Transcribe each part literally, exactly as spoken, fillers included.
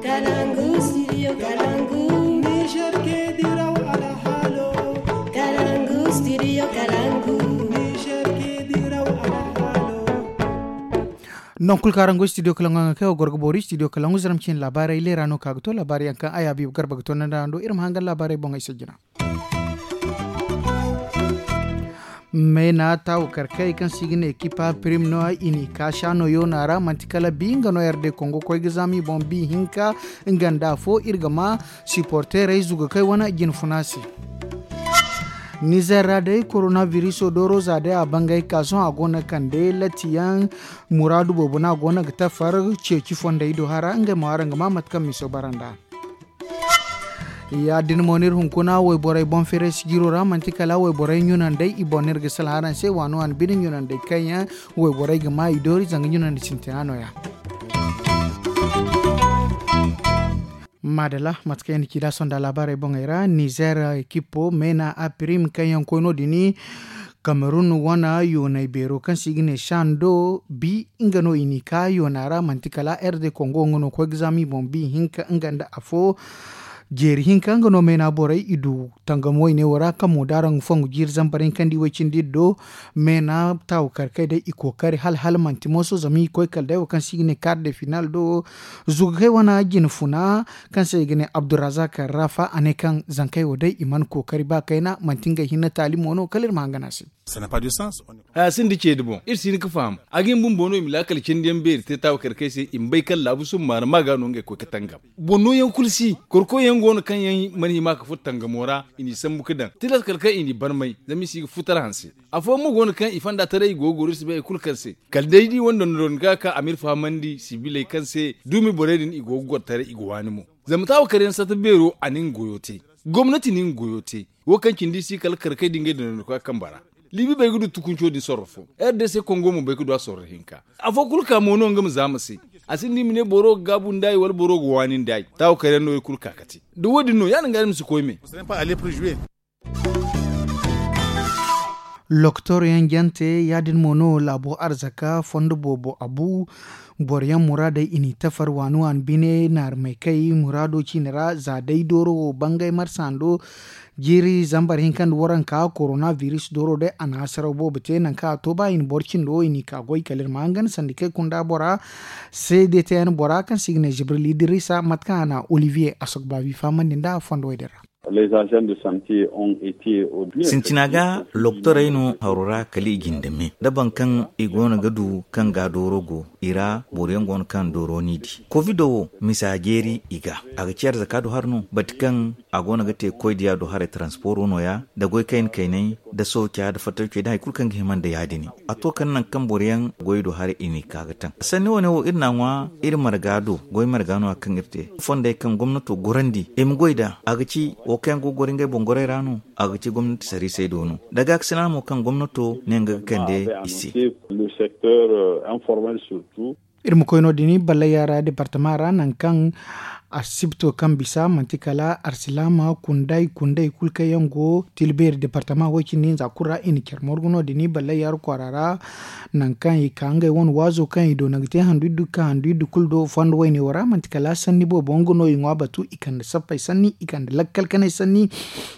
Kalangu, studio Kalangu. Niger ke diraw alhalo. Kalangu, studio Kalangu. Niger ke diraw alhalo. Non kulu karango studio Kalangu, nga kayo gorgo bori studio Kalangu zaram cin labarai lera no kaga to labari yankan aya bi garba ga to nan da ando irma hangan labarai bon ai sajina. Meena taawu karkey kaŋ se i ga ne ekipa prim no i n'i ka saano yoona ra manti kala bi nga no yar day kongo koy ga zaama i boŋ bi hinka. Nga nda afo iri ga ma siporteerey zugakey wane jinfuna se. Nizer ra day korona viriso dooro za day a bangay ka sohõ a go no ga kande latiyaŋ muraadu boobo no a go no ga tafar ceeci fondey do hara ngey mo araŋ ga ma mate kaŋ miso bara nd'a. Ya- din mo no iri hunkuna wayborey boŋ feeray sijiro ra manti kala wayborey ɲunandey i boŋ no iri ga salaha araŋ se waano waani bine ɲunandey kaŋ yaŋ wayborey ga ma i doori zanga ɲunandi sintina nooya. Maadala mate kaŋ yaŋ na ci da sonda laabaarey boŋey ra nizer ekipo meena a pirim kaŋ yaŋ koy no- din kamerun wane yoonay beero kaŋ se i ga ne sando bi nga no i n'i ka yoona ra manti kala r d kongo nga no koy ga zaama i boŋ bi hinka nga nda afo. Jeeri hinka nga no meena borey i du tangam wayne wo ra kaŋ mo da araŋ ga fongu jiiri zambar hinka nda i way cindi iri do. Meena taawu kar kay day i kookari hala hala manti mooso zama i koy kala day wo kaŋ se i ga ne kar de final do. Zugakey wane jinfuna kaŋ se i ga ne abdurazak rafa a ne kaŋ zankey wo day i mana kookari ba kayna manti ngey hinne taali mo no kala iri ma hangan a se. Haya sinda ceedi boŋ iri si hin ga faham. A ga hin bumbo no i ma laakal cindi yaŋ beeri te taawa kar kay se i ma bay kaŋ laabu summaara ma ga no ngey koy ga tangam. Boŋ nooyaŋ kulu si korkoy yaŋ go no kaŋ yaŋ mana hima ga furo tangamo ra i n'i sambu ga daŋ tilas kala kaŋ i n'i barmay zama i si ga futar hanse. Afooyaŋ mo go no kaŋ i fonda taray i go ga goro iri si bay hari kulu kaŋ se kala day da i wane dondon ga ka a ma iri fahamandi sibiley kaŋ se duumi borey din i go ga goro taray i ga waani mo. Zama taawa kar yaŋ sata beero a na nga goyo te. Gomnati na nga goyo te. Wo kaŋ cindi i si kala kar kay da ngey dondon ga ka kambe ra. Liibi bay ga du tukunco din sorro fo. R d c kongo mo bay ga du a sorro hinka. Afo kulu ka mo no nga ma zaama se. A sinda i ma ne boro ga gaabu nd'ay wala boro ga waani nd'ay taawa kar yaŋ no i kulu ka ga te. Da wo- din no ya- din ga ni ma si koy me. Lokotor yaŋ jante ya- din mo no laabo arzaka fondo boobo a bu. Boro yaŋ muraadey i n'i tafar waani waani bine naarmey kay muraado ciine ra za day dooro wo bangay marsando. Jiiri zambar hinka nda waranka korona biris dooro day a na hasaraw boobo te nangu kaŋ a to ba i na boro cindo i n'i ka goy kala iri ma hangan sanda kay kunda bora. Seede te yaŋ bora kaŋ se i ga ne jibril idrisa mate kaŋ a na olivier asogbabi fahamandi nd'a fondo wo- din ra. Sintina ga lokotorey no haro ra kala i jinde me da boro kaŋ i go no ga du kaŋ ga dooro go i ra boro yaŋ go no kaŋ dooro n'i di kovido wo misa jeeri i ga a ga ci arzaka do hari no bati kaŋ a go no ga te koy diya do haray taransporo no- ya da goy kayna kaynay da sooca da fattancey da hari kulu kaŋ ga hima nda ya- din. A to kala nangu kaŋ boro yaŋ goy do haray i n'i ka ga taŋ sanni wane wo iri n'a ŋwa iri marga do goy marga no- ya kaŋ iri te fondey kaŋ gomnato gorandi i ma goy nd'a a ga ci wo kaŋ yaŋ go ga goro ngey boŋ gorey ra no a ga ci gomnati sariisey do no da gaakasina mo kaŋ gomnato ne nga ga kande i se. Iri ma koy no- din ballayya ra departama ra nangu kaŋ asibto kaŋ bisa manti kala arsilaama kunday kunday kulu kaŋ yaŋ go tilbeeri departama wo- cindi hinza kulu ra i na care morgu no- din ballayya ra kwaara ra. Nangu kaŋ i ka ngey wane waazo kaŋ i doona ga te handu iddu ga ka handu iddu kulu do fondo wayne wo ra manti kala sanni boobo nga no i ŋwa batu i kande sappey sanni i kande lakkal kanay sanni.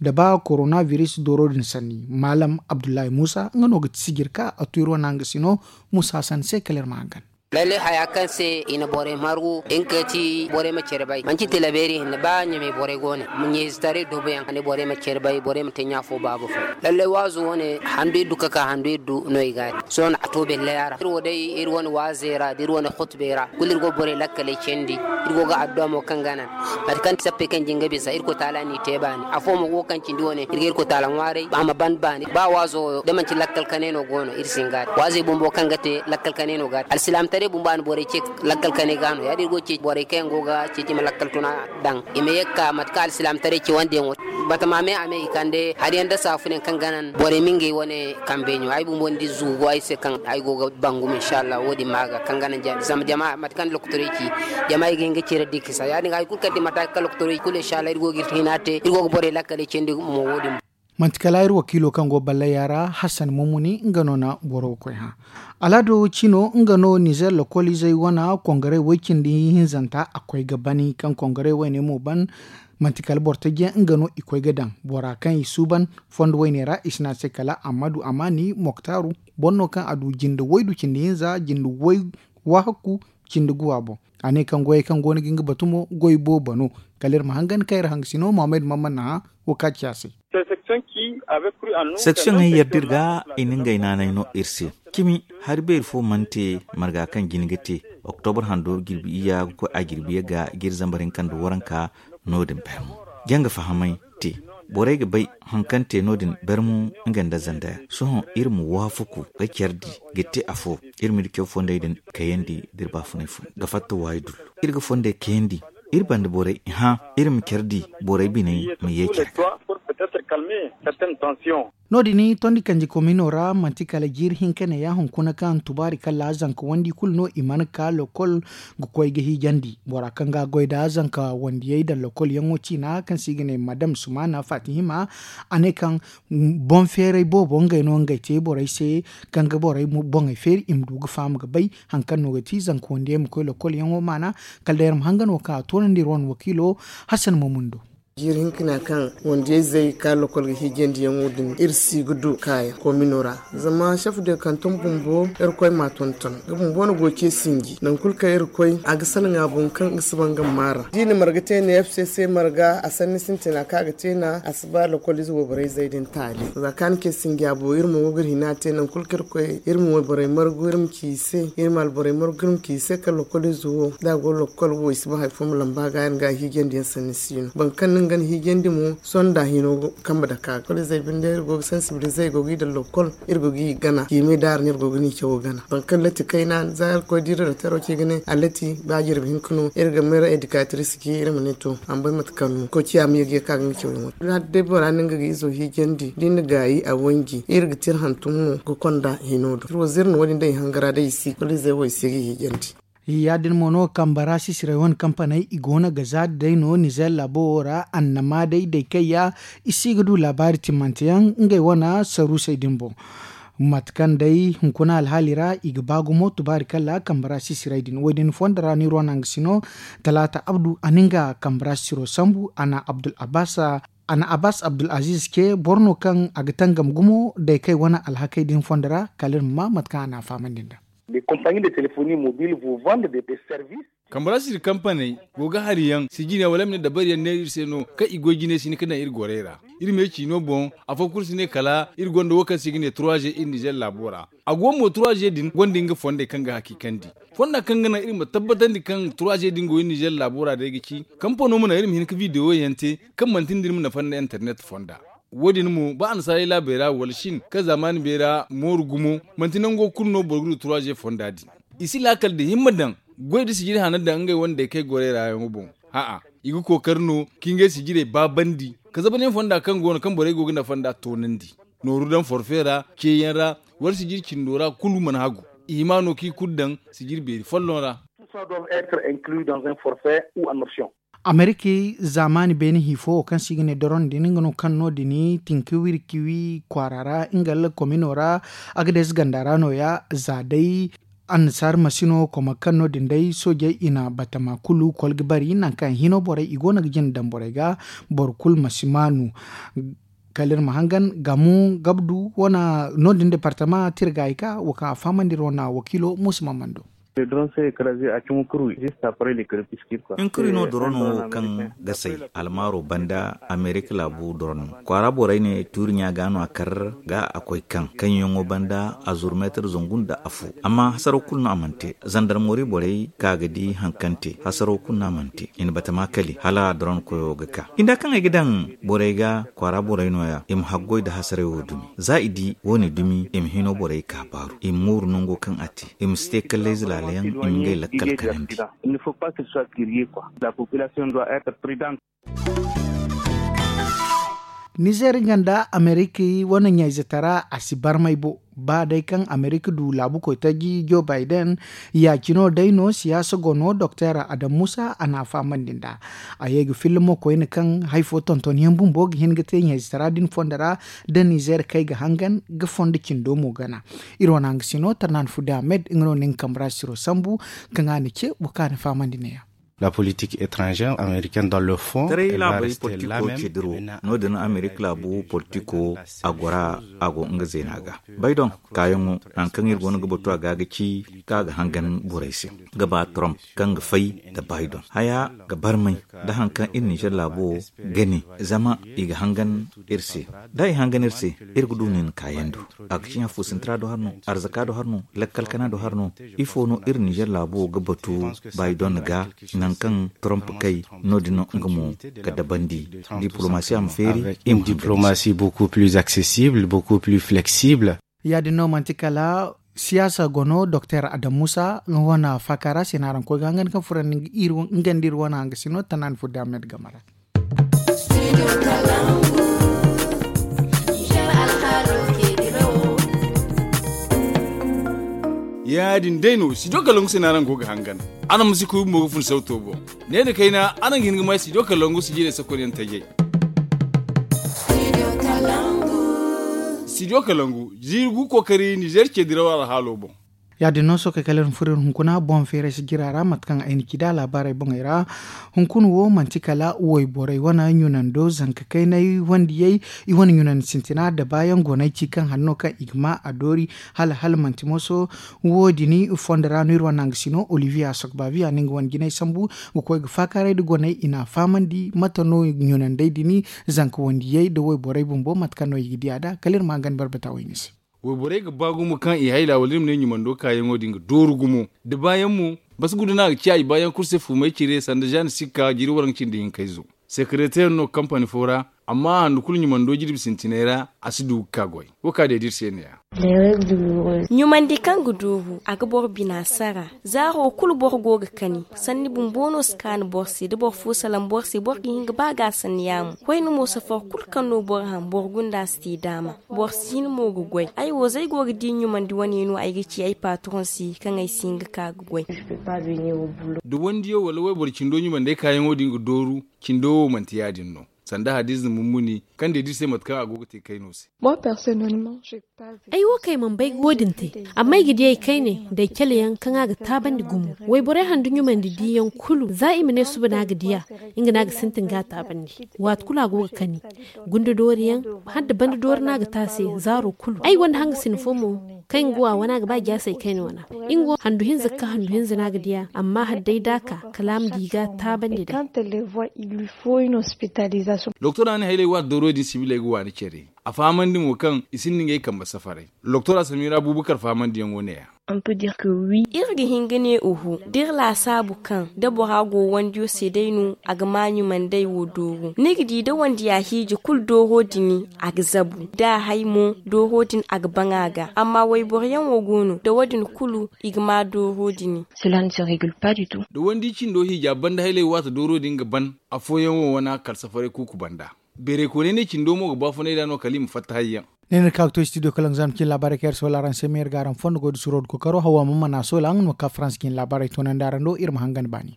Da ba korona biris dooro din sanni maalam abdullahi muusa nga no ga ti sijir ka a tu iri wane hangasino. Muusa sanni se kala iri ma hangan. Lalle haya kaŋ se i na borey margu nga ka ti borey ma care bay manti tilabeeri hinne ba ɲamey borey go ne. Ɲeezitaray doobo yaŋ a ne borey ma care bay borey ma te ɲaafo baaba fo. Lalle waazo wo- ne handu iddu ka ka handu iddu no i ga a te sohõ a to belley a ra iri wo day iri wane waazey ra da iri wane hutubey ra kulu iri go ga borey lakkaley candi iri go ga adduwa mo kaŋ ga naŋ. Mate kaŋ sappey kaŋ jinga bisa irkoy taala n'i te baani afo mo go kaŋ cindi wo- ne iri ga irkoy taala ŋwaaray a ma ban baani ba waazo wo da manti lakkal kanay no go no iri si hin ga a te waazey bumbo kaŋ ga te lakkal kanay no ga a te alsilaamataray bumbo a na borey ce lakkal kanay ga no ya- din iri go ga ceeci borey kaŋ yaŋ go ga ceeci i ma lakkal tuna daŋ i ma ye ga ka mate kaŋ alsilaamataray cawandi yaŋo. Batama me a me i kande hari yaŋ nda saafunayaŋ kaŋ ga naŋ borey ma ngey wane kambe ɲo ay bumbo ni di zugu go ay se kaŋ ay go ga bangu ma inshallah wo- din ma ga kaŋ ga naŋ zama jama mate kaŋ lokotorey ci jama i ga hin ga cire dikisa ya- din ga hari kulu kaŋ ti mate kaŋ lokotorey kulu inshallah iri go ga iri hina te iri go ga borey lakkaley candi mo wo- din. Manti kala iri wakiilo kaŋ go ballaya ra, hassan mumuni nga no na boro ga koy hã. Alaado cino nga no nizer lokoliizey wane kongaray woy cindi hinzanta a koy ga bani kaŋ kongaray woyne mo ban. Manti kala boro tajiyaŋ nga no i koy ga daŋ bora kaŋ i suuban fondo woyne ra i si ne a se kala ammadu amaani moktaaru, boro no kaŋ a du jinde woy du cindi hinza jinde woy waahakku cindi guwa boŋ. A ne kaŋ goyey kaŋ go no ga nga batu mo goy boobo no. Kala iri ma hangan kaŋ iri hangasino muhammad mamman na hã. Wo ka ci a se. Seksiyoŋey yadda iri ga i na ngey naanay no iri se. Cimi hari beeri fo mana te marga kaŋ jin ga te. Oktobar hando jirbi iyya ga koy a jirbi ye ga ga iri zambar hinka nda waranka. No- din bermo janga fahamay te. Borey ga bay haŋ kaŋ te no- din bermo nga nda zandaya sohõ iri ma waafaku ga care di ga te afo. Iri ma iri care fondey din kayandi da iri baafunay fo ga fatta waayi dullu. Iri ga fondey kayandi iri banda borey hã. Iri ma care di borey biney ma ye care ga. No- din tondi kanji komino ra manti kala jiiri hinka ne ya hunkuna kaŋ tubaari kala zanka wandi kulu no i mana ka lokol ga koy ga hiijandi bora kaŋ ga goy nda zanka wandiyey daŋ lokol yaŋo ciina kaŋ se i ga ne madam sumana fatihima. A ne kaŋ boŋ feeray boobo ngey no ngey te borey se kaŋ ga borey boŋey feeri i ma du ga faham ga bay haŋ kaŋ no ga ti zanka wandiyey ma koy lokol yaŋo maana. Kala day iri ma hangan wo kaŋ a toonandi iri wane wakiilo. Hassan mamundo. Jiiri hinkina kaŋ wandiyey zey ga ka lokol ga hiijandi yaŋo din iri si ga du kaayaŋ komino ra. Zama chef de kanton bumbo irkoy m'a tonton nga bumbo no go ce sinji nangu kulu kaŋ iri koy a ga salaŋ a boŋ kaŋ ga si ba nga ma maara da i na marga te ne fcc marga a sanni sintina kaŋ a ga te na a si ba lokol ize wayborey zey din taali. Za kaŋ a na ce sinji a boŋ iri mo go ga iri hina te nangu kulu kaŋ iri koy iri ma wayborey margu iri ma ci i se iri ma alborey margu iri ma ci i se kaŋ lokol ize wo da a go lokol wo i si ba hari fo ma lamba ga yaŋ ga a hiijandi yaŋ sanni si no boro kaŋ no nga na hiijandi mo. Sonda hino kambe dake a ga kala izey binde iri go ga sansibilize i go ga i daŋ lokol iri go ga i gana ciimay daara no iri go ga ni cawo gana boro kaŋ lati kayna za iri koy da iri daktaro ci ga ne a lati ba jirbi hinka no iri ga mayra edikatiris ci iri ma ne to a ma bay mate kaŋ no koy ciya ma ye ga ye kaŋ a ga nga cawo yaŋo. Hala day bora no nga ga izo hiijandi da i na gaayi a wanji iri ga te iri hantum no ga konda hino do iri wo ziri no wo- din day i hangara day i si kulu izey wo i si ga hiijandi. Ya- din mo no kambara sisiray wane kampaney i go no ga za da day no nizer laabo wo ra annama day day kayya. I si ga du laabaari timmante yaŋ ngey wane saruusey din boŋ. Mate kaŋ day hunkuna alhaali ra i ga ba gumo tubaari kala kambara sisiray din wo- din fondo ra no iri wane hangasino talaata abdu a na nga kambara sisiro sambu a na abdul abbas a na abbas abdul aziz ce boro no kaŋ a ga tangam gumo day kay wane alhakey din fondo ra kala iri ma ma mate kaŋ a na a fahamandi nd'a. Kambarasiri kampaney go ga hari yaŋ sijine wala ma ne dabari yaŋ neera iri se no kaŋ i goy jine si hin ga daŋ iri gorey ra. Iri me ciino boŋ afo kulu si ne kala iri gonda wo kaŋ se i ga ne trois g iri nizer laabo ra. A go mo trois g din gonda nga fondey kaŋ ga hakiikandi fonda kaŋ ga naŋ iri ma tabbatandi kaŋ trois g din go iri nizer laabo ra day ga ci kampano ma naŋ iri ma hin ga videwo yaŋ te kaŋ manti nda iri ma nafa nda internet fonda. Wo- din mo ba annasaarey laabey ra wala shin kaŋ zaamaani beera mooru gumo manti nango kulu no boro ga du trois g fonda din. I si laakal da himma daŋ goy da sijiri hana daŋ ngey wane day kaŋ ay gorey ra yaŋo boŋ. A'a, i ga kookari no ka ngey sijirey baabandi ka zabanyaŋ fonda kaŋ go no kaŋ borey go ga nafa nd'a toonandi. Nooru daŋ forfe ra ceeyaŋ ra wala sijiri cindo ra kulu mana hagu. I hima no kaŋ i kulu daŋ sijiri beeri folloŋ ra. Amerika zaamaani beene hi fo wo kaŋ se i ga ne doron din nga no kaŋ no- din tinka wirki wi kwaara ra nga lakomino ra. Agades ganda ra nooya za day annasaari masino koma kaŋ no- din day soojey i na batama kulu kol ga bari nangu kaŋ hino borey i go no ga jina daŋ borey ga. Boro kulu ma si maanu. Kala iri ma hangan gamu gabdu wane no- din departama tirgayka wo kaŋ a fahamandi iri wane wakiilo muusa mamando. Inkuri no dorono kaŋ ga say almaaro banda amerika laabu dorono kwaara borey ne tuuri ɲa ga no a kar ga a koy kaŋ kaŋ yaŋo banda a zuru meetar zangu nda afo amma hasaro kulu no a mana te zandarmori borey ka ga di haŋ kaŋ te hasaro kulu no a mana te i na batama kali hala dorono koyo ga ka i nda kaŋ ay ga daŋ borey ga kwaara borey no- ya i ma haggoy nda hasaray wo dumi za i di wo- ne dumi i ma hino borey ka baaru i ma mooru nango kaŋ a te i ma si te kallayze laala yaŋ i ma ngey lakkal kanandi. Nizer nga nda amerika wane ɲayze tara a si barmay bo. Ba day kaŋ amerika du laabu koytaji joe biden, ya- cine wo day no siyaasa go no doktor adam muusa a na a fahamandi nd'a. A ye ga filla mo koyne kaŋ hari fo tonton yaŋ bumbo ga hin ga te ɲayze tara din fondo ra, da nizer kay ga hangan ga fondo cindo mo gana. Iri wane hanga si no tarnaani fudde ahmed nga no na nga kambe ra siro sambu kaŋ a na ce boro kaŋ a na fahamandi ne- ya. La politik etrangere amerikaine dans le fond taray laabari politiko cediro no- din amerika laabu politiko a gora a go nga zeena ga. Biden kaayaŋo nangu kaŋ iri go no ga batu a ga ga ci kaŋ a ga hangan borey se ga ba trump kaŋ ga fay nda biden haya ga barmay nda hari kaŋ iri nizer laabo ga ne zama i ga hangan iri se. Da i hangan iri se iri ga du nin kaayaŋ do a ga ci ɲaafo sintra do hari no arzaka do hari no lakkal kana do hari no. Ifo no iri nizer laabo ga batu biden ga nangu kaŋ trump kay no- din no nga mo ga dabandi diplomasiya ma feeri. Diplomasi beaucoup plus accessible beaucoup plus flexible. Ya- din no manti kala siyaasa go no doktor adam muusa nga wane faaka ra se no araŋ koy ga hangan kaŋ furo nga nda iri wane hanga si no tanaani fo damed game ra. Ya- din day no studio kalangu se no araŋ go ga hangan. Araŋ ma si koy bumbo ga fun sawto boŋ. Ne nda kayna araŋ ga hin ga may studio kalangu sijirey sakonyaŋ tajey. Studio kalangu jiiri gu kookari nizer ce diraw alhaalo boŋ. Ya- din no sookey kala iri ma furo iri hunkuna boŋ feeray sijira ra mate kaŋ ay na ci nd'a laabaarey boŋey ra. Hunkuna wo manti kala wayborey wane ɲunando zanka kaynay wandiyey i wane ɲunandi sintina da baayaŋ go no ay ci kaŋ hari no kaŋ i ga ma a doori. Hala hala manti moso wo- din fondo ra no iri wane hanga si no olivier a sokbaabi a na nga wane jinay sambu ga koy ga faakaaray nda goney i n'a fahamandi mate no ɲunandey din zanka wandiyey nda wayborey bumbo mate kaŋ no i ga di a nd'a kala iri ma hangan barbata wayne se. Wayborey ga ba gumo kaŋ i hayla wala iri ma ne ɲumando kaayaŋo din ga dooru gumo da baayaŋ mo. Basi guda no a ga ciya i baayaŋ kulu se fumay cire sanda zaani sikka jiiri waranka cindi hinkayzo sekereteer no kampani fo ra. Amma handu kulu ɲumando jirbi sintinay ra a si du ga ka goy. Wo ka day da iri se ne- ya. Ɲumandi kaŋ ga dooru a ga boro bina sara. Zaaro kulu boro go ga kani sanni bumbo no si kaanu boro se da boro fo salaŋ boro se boro ga hin ga ba ga a sanni yaamo. Koyne mo safar kulu kaŋ no boro haŋ boro gunda a si te daama. Boro si hin mo ga goy ay wo za ay go ga di ɲumandi wane no ay ga ci ay patroŋ se kaŋ ay si hin ga ka ga goy. Da wandiyo wala wayboro cindo ɲumandey kaayaŋo din ga dooru. Cindo wo manti ya- din no sanda hadiza mummuni kaŋ day da iri se mate kaŋ a go ga te kayno se. Ay wo kay mana bay ga wo- din te. Amma ay ga di ay kayne da ay cale yaŋ kaŋ a ga taabandi gumo. Wayborey handu ɲumandi diyaŋ kulu za i ma ne suba no a ga di a. Nga no a ga sintin ga a taabandi. Waati kulu a go ga kani. Gunda doori yaŋ hala da banda doori no a ga te a se zaaro kulu ay gonda hanga sina fo mo. Kaŋ nga wo a wane a ga ba jaasay kayna wana. Nga wo handu hinza ga ka handu hinza no a ga di a amma hala day da a ka kala a ma di ga taabandi day. Doktora ne haylay waati dooro din sibiley ga waani care. A fahamandi mo kaŋ i sinda ngey kambe safaray. Doktora samira buubakar fahamandiyaŋo ne- ya. Iri ga hin ga ne oho da iri laasaabu kaŋ da bora go wandiyo se day no a ga ma ɲumandey wo dooru ni ga di da wandiya hiiji kulu dooro din a ga zabu da a hay mo dooro din a ga baŋ a ga amma wayboroyaŋ wo go no da wo- din kulu i ga ma dooro din. Da wandi cindo hiija banda haylay waati dooro din ga ban. Afooyaŋ wo wana kala safaray kuuku banda. Beerey koonay ne cindo mo ga baafunay nd'a no kala i ma fatta hayyaŋ. Ne no iri ka ga to studio kalaŋ za ma cin laabaarey kaŋ iri soola araŋ se meeri ga araŋ fondo goy da suro da kokaro hawa ma mana soola nga no ma ka farans ga hin laabaarey toonandi araŋ do iri ma hangan baani.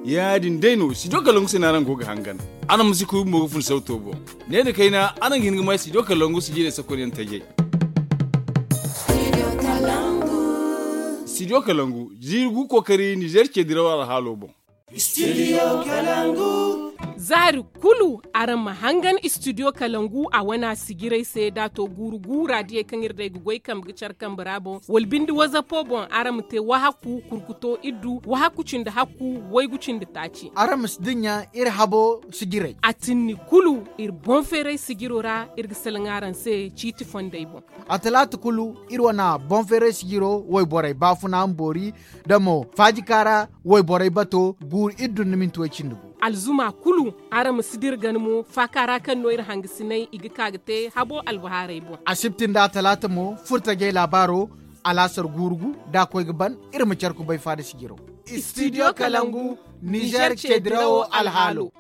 Ya- din day no studio kalaŋ se no araŋ go ga hangan. Araŋ ma si koy bumbo ga fun sawto boŋ. Ne nda kayna araŋ ga hin ga may studio kalaŋ sijirey sakonyaŋ tajey. Studio kalangu jiiri gu kookari nizer ce diraw alhaalo boŋ. Zaari kulu araŋ ma hangan studio kalangu a wana sijirey se da a to guuru guura diyey kaŋ iri day ga goy kambe ga care kambe ra boŋ wala binde wazapo boŋ araŋ ma te wahakku kurkuto iddu wahakku cindi hakku waygu cindi taaci. Araŋ ma si dinya iri habo sijirey a tinni kulu iri boŋ feeray sijiro ra. Iri ga salaŋ araŋ se ciiti fondey boŋ. A talaata kulu iri wane boŋ feeray sijiro wayborey baafuna ma boori da mo faajika ra wayborey bato guuru iri dun ni minti way cindi gu. Alzuma kulu araŋ ma si dira gana mo faaka ra kaŋ no iri hangasinay i ga ka ga te habo albahaarey boŋ. Asibti nda talaata mo furtajey laabaaro. Alaasar guurugu da a koy ga ban, iri ma care kubay faada sijiraw. Studio kalangu, nizer cedirawo alhaalo.